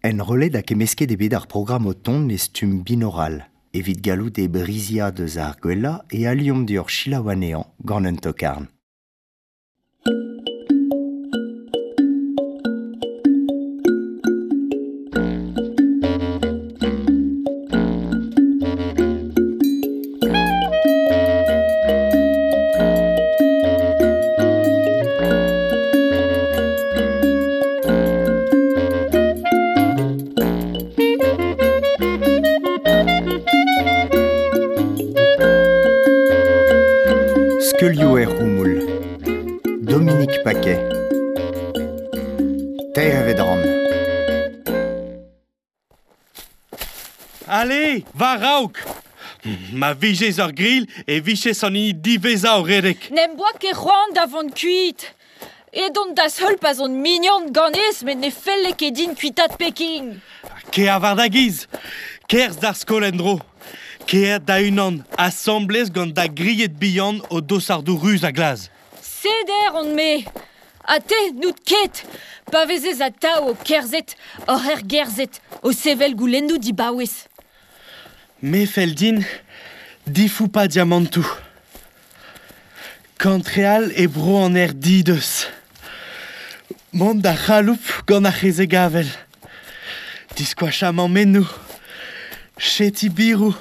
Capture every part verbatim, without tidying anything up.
Enrollet hag kemmesket eo bet ar programm o tont e stumm binoral, evit gallout e briziañ deus ar gwellañ e aliomp deoc'h selaou anezhañ gant un tokarn. Skeulioù er c'houmoul. Dominique Paquet. Teir evet ran. Allez, war-raok! Ma vijez ur grill e vijez an hini diwezhañ o redek. N'em boa ket c'hoant da vont kuit. Edon da'z heul pa'z on mignon ganez met ne felle ket din kuitaat Peking. Kea war da giz. Kerzh d'ar skol en-dro. Kea da-unan, asambles gant da grilhed bihan o dosardoù ruz ha glas. Seder on-me. Ha te, n'out ket. Pa vezez atav o kerzhet, oc'h ergerzhet, o sevel goulennoù dibaouez. Me fell din difoupañ diamantoù. Kantreal e bro an aer dideus. Mont da c'haloup gant ar c'hezeg avel. Diskoachañ mammennoù. Cheti biroù.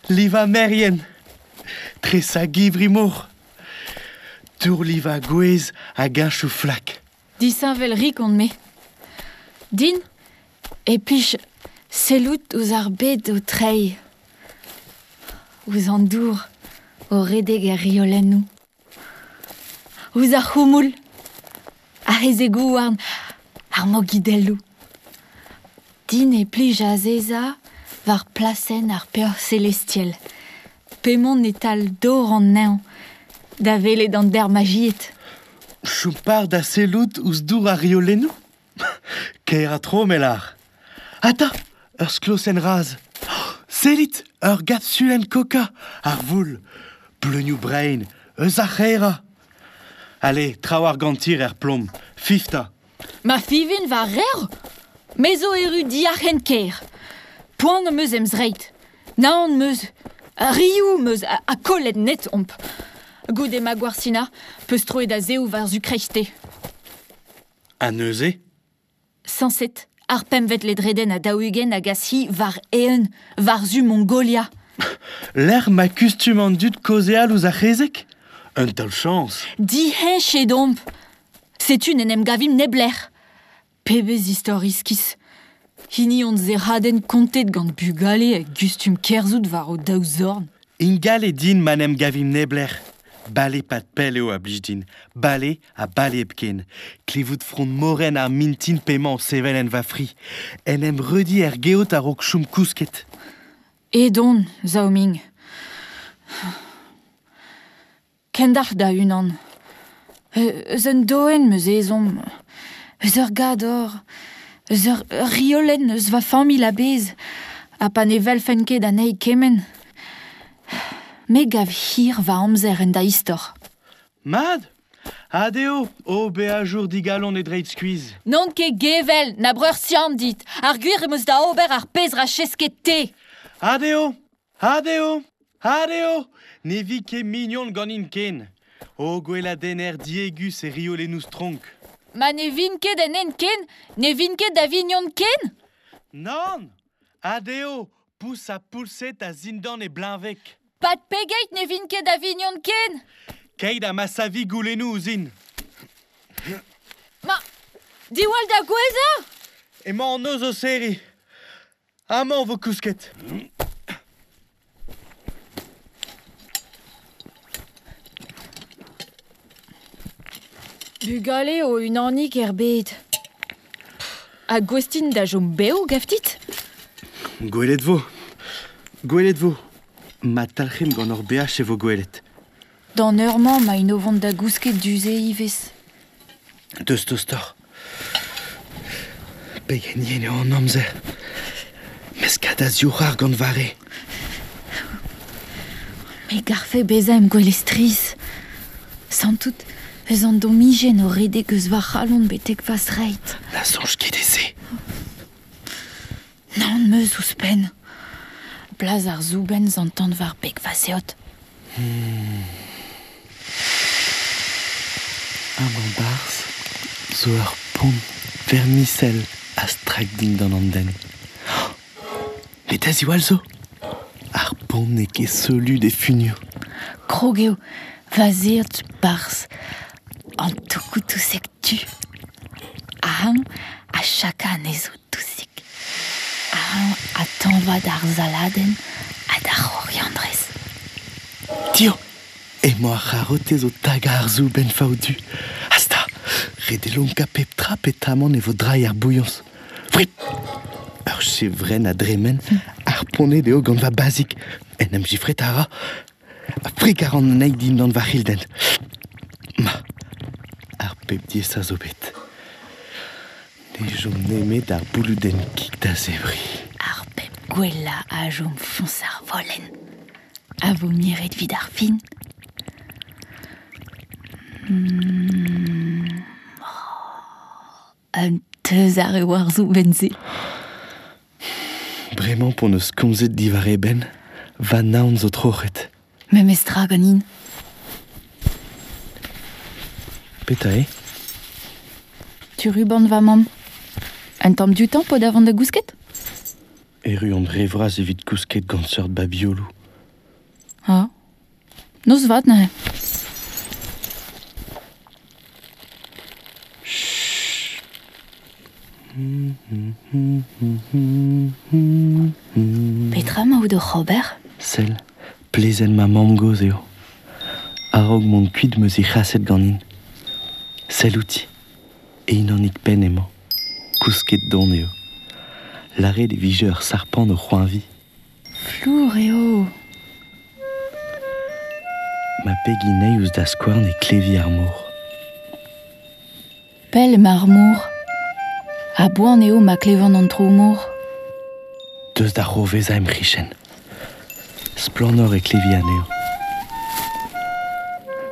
Livañ merien. Tresañ givri-mor. Dourlivañ gwez hag heñchoù flak. Disheñvel rik on-me. Din e plij sellout ouzh ar bed o treiñ. Ouzh an dour o redek er riolennoù. Ouzh ar c'houmoul, ar c'hezeg-houarn, ar mogidelloù. Din e plij azezañ war plasenn ar peoc'h celestiel. P'emaon e-tal dor an neñv, da welet an dermajied. Chom par da sellout ouzh dour ar riolennoù? Kaer ha tro, me lâr. Ata, ur sklosenn raz. Sellit, ur gapsulenn coca, ar voul, bleunioù brein, eus ar c'haerañ. Allez, traoù ar gantir er plom, fifta. Ma fivin war revr? Me zo erru diarc'hen kêr. Poan am eus em zreid. Naon am eus, rioù am eus ha, ha kollet net omp. Goude ma gwarsina, peus troet a-zehoù war-zu kreiste. Ha neuze? Sañset, ar pempvet ledredenn ha daou-ugent a gas hi war eeun, war-zu Mongolia. Lec'h ma kustum an dud kaozeal ouzh ar c'hezeg? Un taol chañs. Diheñchet omp. Setu n'en em gavimp neblec'h. Pebezh istor iskis. Hini hon zerradenn kontet gant bugale a gustum kerzhout war o daou zorn. Ingal eo din ma n'em gavimp neblec'h. Bale pad pell eo a blij din. Bale ha bale hepken. Klevout frond morenn ar mintin p'emañ o sevel en va fri. En em reudi er geot a-raok chom kousket. Edon, Zhaoming. Kendalc'h da unan. Eus un doenn 'm eus ezhomm. Eus ur gador. Eus ur riolenn eus va familh a-bezh. Ha pa ne welfen ket anezhi kement. Me gav hir va amzer en da istor. Mat! Adeo, o beajour digalon e dreid skuizh. N'on ket gevel, na breur siam dit. Ar gwir em eus da ober ar pezh ra chesket te. Adeo! Adeo! Adeo! Ne vi ket mignon ganin ken. O gweladenner diegus e riolennoù stronk. Ma ne vin ket en hent ken, ne vin ket da vignon ken? Nann! Adeo! Pous ha poulset a zindan e bleñveg. Pad pegeit ne vin ket da vignon ken? Keit ha ma savi goulennoù ouzhin. Ma, diwall da gouezhañ! Emañ an noz o serriñ. Amañ vo kousket. Bugale o unanik er bed. Ha gouest int da chom bev, gav dit? Gwelet vo. Gwelet vo. Ma talc'himp gant hor beaj e vo gwelet. D'an eur-mañ emaint o vont da gousket du-se ivez. Deus tostoc'h. Pegen yen eo an amzer. Meskad a-zioc'h gant va re. Me garfe bezañ em gwele strizh. Santout eus an domijenn o redek eus va c'halon betek va zreid. Na soñj ket e se. Naon meus ouzhpenn. Blaz ar zoubenn zantan war beg va zeod. Hmm. Amañ barzh zo ur pont vermisel a strak dindan an den. Met a ziwall zo. Ar pont n'eo ket solud e funioù. Krog eo va zeod barzh an tokoù-touseg tu. Aham a chaka anezho dousik. Aham a tañva d'ar saladenn ha d'ar c'horiandrez. Tio, emañ ar c'harotez o tagañ ar zoubenn faoudu. Asta, ret eo lonkañ pep tra petamant e vo drailh ar bouilhañs. Frip! Ur chevrenn a dremen, ar poned eo gant va bazik. En em gifret a ra. Frik a ran anezhi dindan va c'hildenn. Ma, ar pep diaesañ zo bet. Ne chom nemet ar bouloudenn kig da zebriñ. Ar pep gwellañ a chom foñs ar volenn. A vo miret evit ar fin. Mm. Oh, un teuzar eo ar zoubenn-se. Bremañ p'hon eus komzet diwar e benn, va naon zo troc'het. Memes tra ganin. Petra eo ? Tu ruban va mamm. Un tamm dioutañ po da vont da gousket ? Erru on re vras evit kousket gant seurt babioloù. Ha. Noz vat neuze. Petra emañ out oc'h ober ? Sell, plezenn ma mamm-gozh eo. A-raok mont kuit 'm eus he c'haset ganin. Sell outi. E-unanik penn emañ. Kousket don eo. Lâret e vije ur sarpant o c'hoañviñ. Flour eo. Ma pegin ouzh da skouarn e klevi ar mor. Pell emañ ar mor. A-boan eo ma klevan an tro-mor. Deus da c'hourvezañ em c'hichen. Splannoc'h e klevi anezho.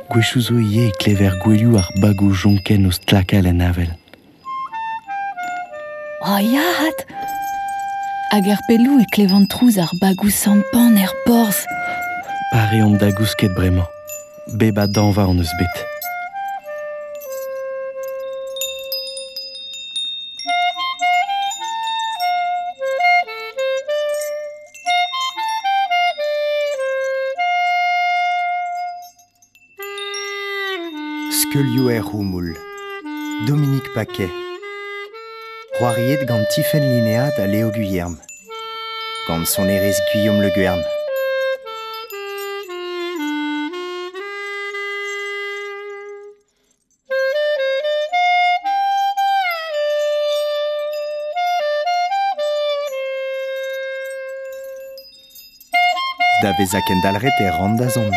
Gwechoù zo ivez e klever gouelioù ar bagoù jonkenn o stlakal en avel. Oh ya, hat ! Hag er pelloù e klevan trouz ar bagoù sampan er porzh. Pare omp da gousket bremañ. Bep a dañva hon eus bet. Skeulioù er c'houmoul. Dominique Paquet. C'hoariet gant Tifenn Linéad ha Léo Guyerme. Gant sonerezh Guillaume Le Guern. Da vezañ kendalc'het e ran da zont.